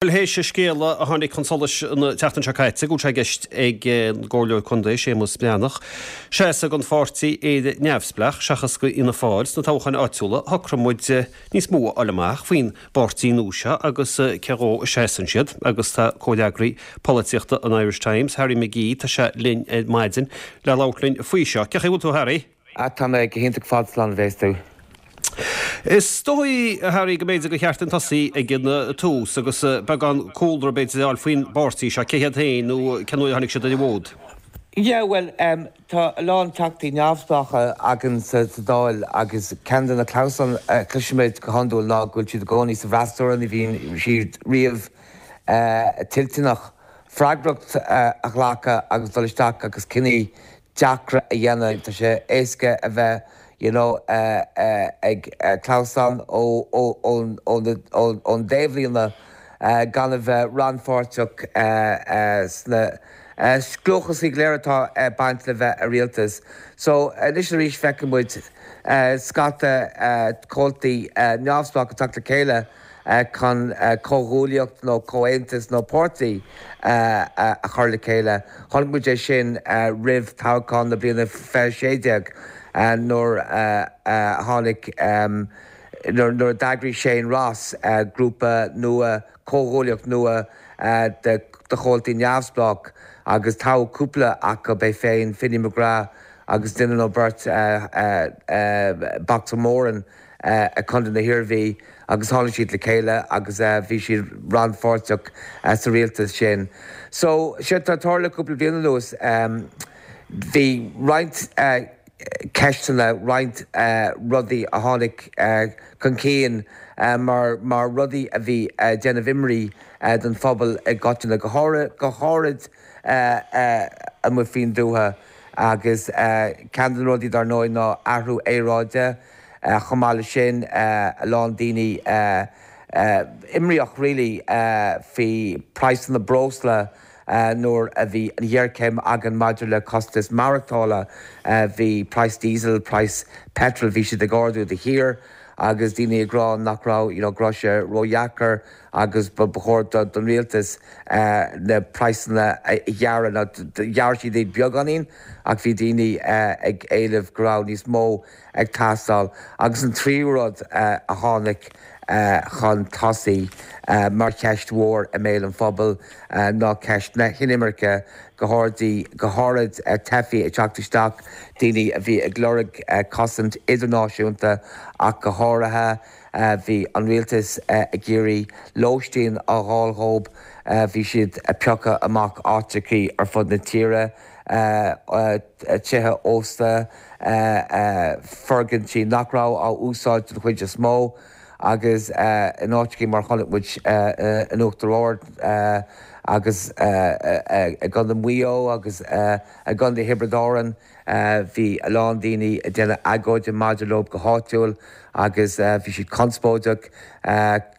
Bhuel, théis an scéala a tháinig chun solais an tseachtain seo caite, go bhfuil sé i gceist ag an gComhairleoir Contae, Séamus Breathnach, seasamh don pháirtí Éire Neamhspleách seachas do Fhianna Fáil sna toghcháin áitiúla, shocraigh muid níos mó a fháil amach faoin bpáirtí nua seo agus cé dhó a seasann siad. Agus tá comhfhreagraí polaitíochta an Irish Times, Harry McGee, tá sé linn ar maidin le labhairt linn faoi seo. Cén chaoi a bhfuil tú, a Harry? Ah, tá mé go hiontach fad slán a bhéas tú. Is dóigh, a Harry, go mb'fhéidir gur cheart dúinn tosaí ag an tús agus beagán cúlra b'fhéidir a fháil faoin bpáirtí seo, cé hiad féin nó cén uair a tháinig siad ar an bhfód? Yeah, bhuel, tá a lán teachtaí neamhspleácha againn sa Dáil agus ceann de na clamhsáin a chloisimid go hiondúil ná go bhfuil siad i gcónaí sa bhfreasúra, ní bhíonn siad riamh toilteanach freagracht a ghlacadh agus dul isteach agus cinní deacra a dhéanamh. Tá sé éasca a bheith you know ag clamhsán ón dtaobhlíne gan a bheith rannpháirteach sna scliúchasaí go léir atá ag baint le bheith i rialtas. So anois arís feiceann muid scata comhaltaí neamhspleách ag teacht le chéile chun comhghuaillíocht nó comhaontas nó páirtí a chur le chéile. Chonaic muid é sin roimh toghchán na bliana 2016 nuair a tháinig, nuair a d'eagraigh Shane Ross grúpa nua, comhghuaillíocht nua de chomhaltaí neamhspleách agus toghadh cúpla acu, é féin, Finny McGrath agus duine nó beirt, Boxer Moran. i gContae na hIarmhí agus tháinig siad le chéile agus bhí siad rannpháirteach sa rialtas sin. So, séard atá ag tarlú cúpla bliain anuas, bhí roinnt ceisteanna, roinnt rudaí a tháinig chun cinn mar mar rudaí a bhí ag déanamh imní don phobal i gcoitinne, go háirid go háirid amuigh faoin dtuath agus ceann de na rudaí dar ndóigh ná athrú aeráide. Chomh maith leis sin, a lán daoine imníoch really faoi praghsanna breosla nuair a bhí an ghéarchéim againn maidir le costas maireachtála. Bhí praghas diesel, praghas petrol, bhí siad ag ardú de shíor agus daoine ag rá nach raibh, you know, go raibh sé ródheacair agus ba chóir don rialtas na praghsanna a ghearradh. Now, ghearr siad iad beagáinín ach bhí daoine ag éileamh go raibh níos mó ag teastáil. Agus an tríú rud a tháinig chun tosaigh mar cheist mhór i mbéal an phobail ná ceist na hinimirce, go háirid teifigh ag teacht isteach, daoine a bhí ag lorg cosaint idirnáisiúnta ach go háirithe. Bhí an rialtas ag iarraidh lóistín a fháil dhóibh, bhí siad ag piocadh amach áiteachaí ar fud na tíre, tithe ósta, foirgintí nach raibh á úsáid den chuid is mó agus in áiteachaí mar chonaic muid in Uachtar Ard agus i gContae Mhaigh Eo agus i gContae Thiobraid Árann. Bhí a lán daoine ag déanamh agóide maidir leo go háitiúil agus bhí siad conspóideach.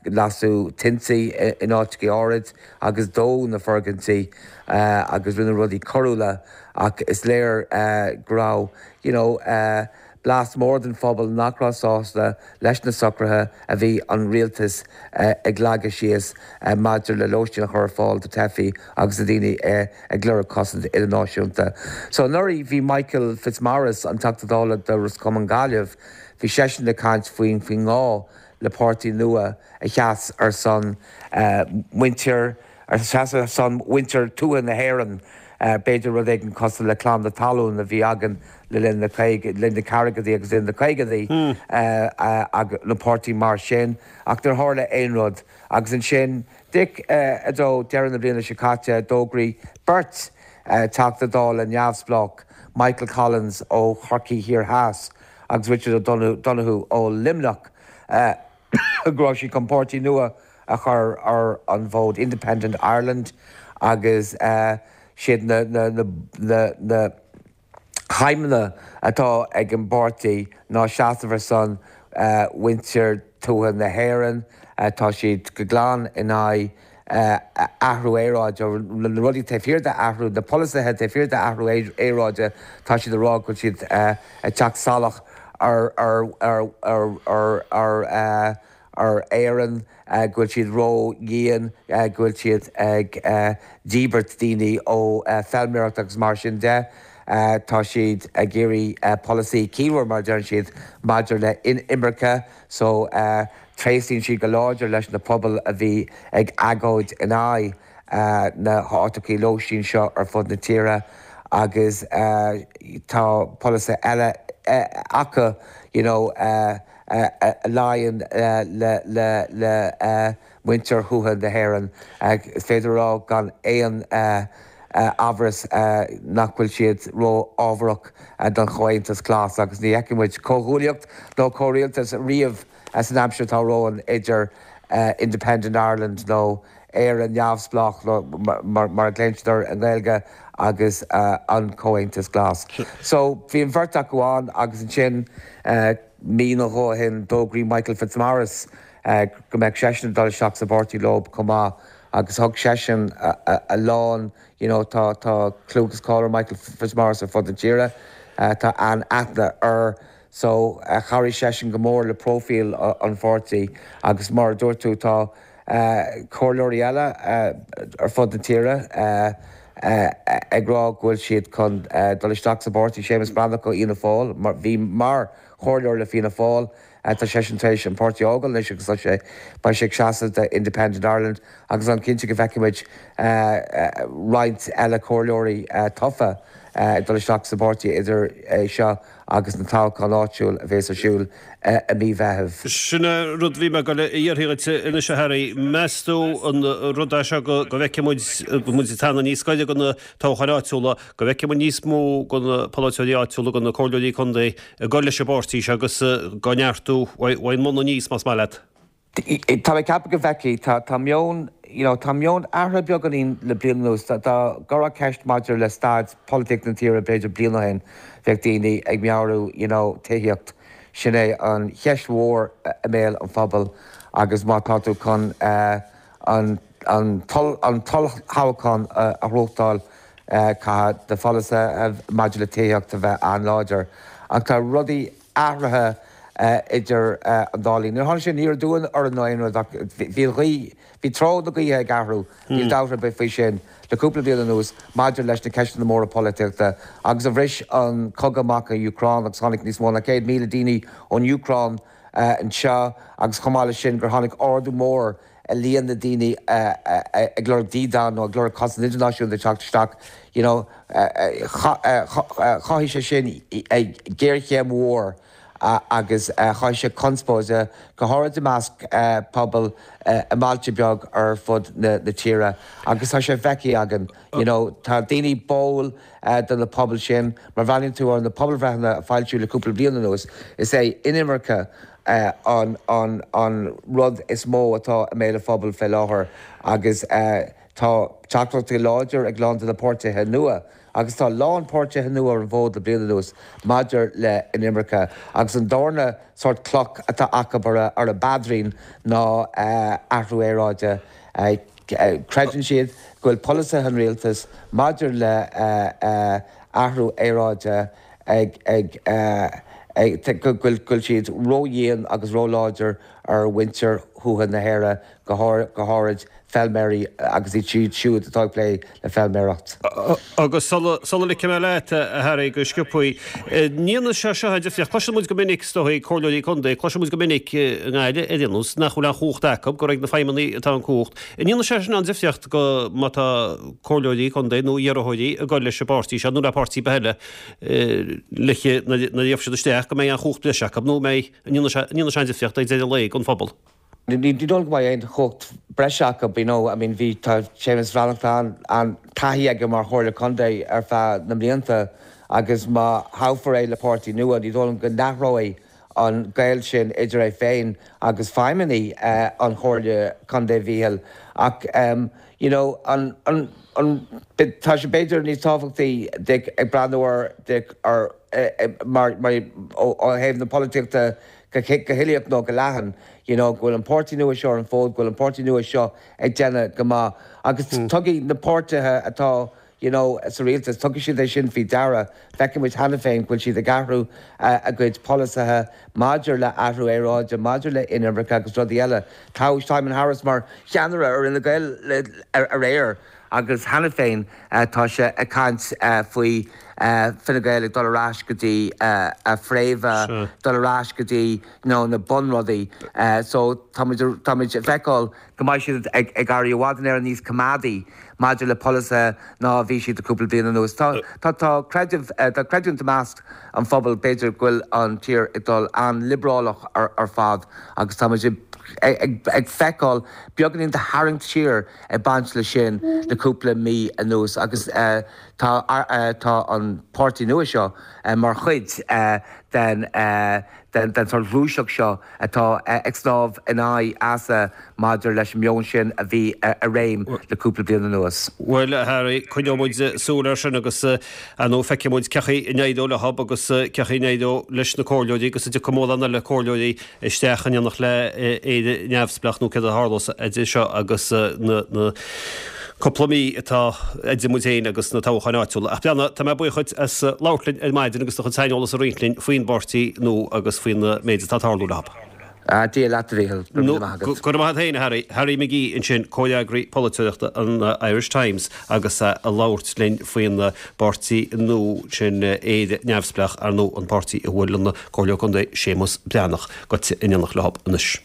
Lasadh tinte in áiteachaí áirid agus dódh na foirgintí agus rinneadh rudaí coiriúla ach is léir go raibh you know blas mór den phobal nach raibh sásta leis na socruithe a bhí an rialtas ag leagadh síos maidir le lóistín a chur ar fáil do teifigh agus do dhaoine ag lorg cosaint idirnáisiúnta. So anuraidh bhí Michael Fitzmaurice, an Teachta Dála do Ros Comáin Gaillimh, bhí seisean ag caint faoin faoin ngá le páirtí nua a sheas ar son muintir a sheas ar son mhuintir tuaithe na hÉireann, b'fhéidir rud éigin cosúil le Clann na Talún a bhí againn le linn na linn na ceathrachaidí agus le linn na caogaidí, nó páirtí mar sin, ach níor tharla aon rud. Agus ansin, Dick, i dtreo deireadh na bliana seo caite, d'fhógraigh beirt Teachta Dála neamhspleách, Michael Collins ó Chorcaigh Thiar Theas agus Richard O'Donoghue ó Luimneach, go raibh siad chun páirtí nua a chur ar an bhfód, Independent Ireland, agus siad na na haidhmeanna atá ag an bpáirtí ná seasamh ar son mhuintir tuaithe na hÉireann. Tá siad go glan in aghaidh athrú aeráide, na rudaí taobh thiar d'athrú, na polasaithe taobh thiar d'athrú aeráide, tá siad ag rá go bhfuil siad ag teacht salach ar ar ar ar ar ar. ar Éirinn, go bhfuil siad ró-dhian, go bhfuil siad ag díbirt daoine ó feilméaracht agus mar sin de. Tá siad ag iarraidh polasaí ciallmhar, mar a deireann siad, maidir le inimirce so tréaslaíonn siad go láidir leis na pobail a bhí ag agóid in aghaidh na háiteachaí lóistín seo ar fud na tíre agus tá polasaithe eile acu you know a luíonn le muintir thuaithe na hÉireann. Is féidir a rá gan aon amhras nach bhfuil siad ró-fhábharach don Chomhaontas Glas agus ní fheicfidh muid comhghuaillíocht nó comhrialtas riamh san aimsir atá romhainn idir Independent Ireland nó Éire Neamhspleách mar a ghlaonn siad air i nGaeilge agus an Comhaontas Glas. So bhí an bheirt acu ann agus ansin mí nó dhó ó shin d'fhógraí Michael Fitzmaurice go mbeadh seisean ag dul isteach sa bpáirtí leo chomh maith agus thug seisean a lán you know tá tá clú agus cáil ar Michael Fitzmaurice ar fud na tíre, tá an-aithne air so chabhraigh seisean go mór le próifíl an pháirtí agus mar a dúirt tú tá comhairleoirí eile ar fud na tíre ag rá go bhfuil siad chun dul isteach sa bpáirtí, Séamus Breathnach ó Fhianna Fáil, bhí mar chomhairleoir le Fianna Fáil. Tá seisean tar éis an páirtí a fhágáil anois agus tá sé, beidh sé ag seasamh do Independent Ireland agus an cinnte go bhfeicfidh muid roinnt eile comhairleoirí tofa ag dul isteach sa bpáirtí idir é seo agus na toghcháin áitiúil a bhéas ar siúl i mí Mheithimh. Sin é rud a bhí mé ag dul a iarraidh dhuit anois a Harry. Meas tú an rud é seo go bhfeicfidh muid, muid ag teannadh níos gaire do na toghcháin áitiúla, go bhfeicfidh muid níos mó de na polaiteoirí áitiúla, de na comhairleoirí contae ag dul leis an bpáirtí seo agus á neartú ón mbun aníos, más maith leat. Tá mé ag ceapadh go bhfeicfidh. Tá, tá meon, you know, tá meon athraithe beagáinín le bliain anuas. Dá, dá gcuirfeá ceist maidir le staid polaitíochta na tíre b'fhéidir bliain ó shin, bheadh daoine ag meabhrú, you know, tithíocht, sin é an cheist mhór i mbéal an phobail agus má tá tú chun eh, an, an an t-olltoghchán a ghnóthachtáil, caithfidh do pholasaithe maidir le tithíocht a bheith an-láidir. Ach tá rudaí athraithe idir an dá linn. Níor tháinig sé aniar aduaidh orainn nó aon rud ach bhí an ghaoth, bhí treo na gaoithe ag athrú, níl dabht ar bith faoi sin, le cúpla bliain anuas maidir leis na ceisteanna móra polaitíochta agus ó bhris an cogadh amach in Úcráin agus tháinig níos mó ná 100,000 daoine ón Úcráin anseo agus chomh maith leis sin gur tháinig ardú mór i líon na daoine ag lorg dídean nó ag lorg cosaint idirnáisiúnta ag teacht isteach, you know, chothaigh sé sin géarchéim mhór agus chothaigh sé conspóid, go háirid i measc pobal i mbailte beag ar fud na tíre agus tá sé feicthe againn, you know, tá daoine báúil do na pobail sin, má bhreathnaíonn tú ar na pobalbhreitheanna a foilsíodh le cúpla bliain anuas, is é inimirce an rud is mó atá i mbéal an phobail fé láthair agus tá teachtaireachtaí láidir ag a lán de na páirtithe nua agus tá a lán páirtithe nua ar an bhfód le bliain anuas maidir le inimirce agus an darna sórt cloch atá acu ar a bpaidrín ná athrú aeráide. Creideann siad go bhfuil polasaithe an rialtais maidir le athrú aeráide ag ag go bhfuil siad ródhian agus róláidir ar mhuintir thuaithe na hÉireann, go háirid feilméaraí agus iad siúd atá ag plé le feilméaracht. Agus sula ligfidh mé leat, a Harry, go sciobthaí, an ndéanann sé seo an difríocht? Cloiseann muid go minic, is dóigh, comhairleoirí contae, cloiseann muid go minic i nGaillimh ar aon nós, nach bhfuil aon chumhacht acu, gur ag na feidhmeannaigh atá an cumhacht. An ndéanann sé sin an difríocht go má tá comhairleoirí contae nó iarrthóirí ag dul leis an bpáirtí seo nó le páirtí ar bith eile, le nuair a gheobhaidh siad isteach go mbeidh an chumhacht breise acu nó mbeidh, an ndéanann sé an difríocht ag deireadh an lae don phobal. Ní dóigh liom go mbeidh aon chumhacht breise acu, you know, I mean bhí, tá Séamus Breathnach, tá an-taithí aige mar Chomhairleoir Contae ar feadh na mblianta agus má thoghfar é le páirtí nua ní dóigh liom go n-athróidh an gaol sin idir é féin agus feidhmeannaigh an Chomhairle Contae Mhíchíl ach you know an an an tá sé b'fhéidir níos tábhachtaí Dick ag breathnú ar Dick ar mar mar ó thaobh na polaitíochta go go huilíoch nó go leathan you know go bhfuil an páirtí nua seo ar an bhfód go bhfuil an páirtí nua seo ag déanamh go maith agus tuigfidh na páirtithe atá. you know, sa rialtas, tugfaidh siad é sin faoi deara. Feiceann muid cheana féin go bhfuil siad ag athrú a gcuid polasaithe maidir le athrú aeráide, maidir le inimirce agus rudaí eile. Toghadh Simon Harris mar cheannaire ar Fhine Gael aréir agus cheana féin tá sé ag caint faoi Fine Gael ag dul ar ais go dtí a fréamha, dul ar ais go dtí you know na bunrudaí. So táimid táimid ag feiceáil go mbeidh siad ag éirí i bhfad in Éirinn níos coimeádaí maidir le polasaithe ná a bhí siad le cúpla bliain anuas. Tá tá tá creideamh tá creidiúint i measc an phobail b'fhéidir go bhfuil an tír ag dul an-liobrálach ar fad agus táimid ag ag feiceáil beagáinín de tharraingt siar ag baint leis sin le cúpla mí anuas agus tá tá an páirtí nua seo mar chuid den den sórt ghluaiseacht seo atá ag snámh in aghaidh easa maidir leis an meon sin a bhí i réim le cúpla bliain anuas. Bhuel, a Harry, coinneoidh muid súil air sin agus, ar ndóigh, feicfidh muid cén chaoi a n-éireoidh leo agus cén chaoi a n-éireoidh leis na comhairleoirí agus an dtiocfaidh mórán eile comhairleoirí isteach in éineacht le Éire Neamhspleách nó céard a tharlós idir seo agus na cúpla mí atá idir muid féin agus na toghcháin áitiúla. Ach Breandán, tá mé buíoch dhuit as labhairt linn ar maidin agus do chuid saineolas a roinnt linn faoin bpáirtí nua agus faoin méid atá ag tarlú leo. Dia leat a Mhíchíl, go raibh míle maith agat. Go raibh maith agat féin a Harry. Harry McGee ansin, comhfhreagraí polaiteoireachta an Irish Times agus é ag labhairt linn faoin bpáirtí nua sin Éire Neamhspleách, ar ndóigh an páirtí a bhfuil an Comhairleoir Contae Séamus Breathnach gaibhte in éineacht leo anois.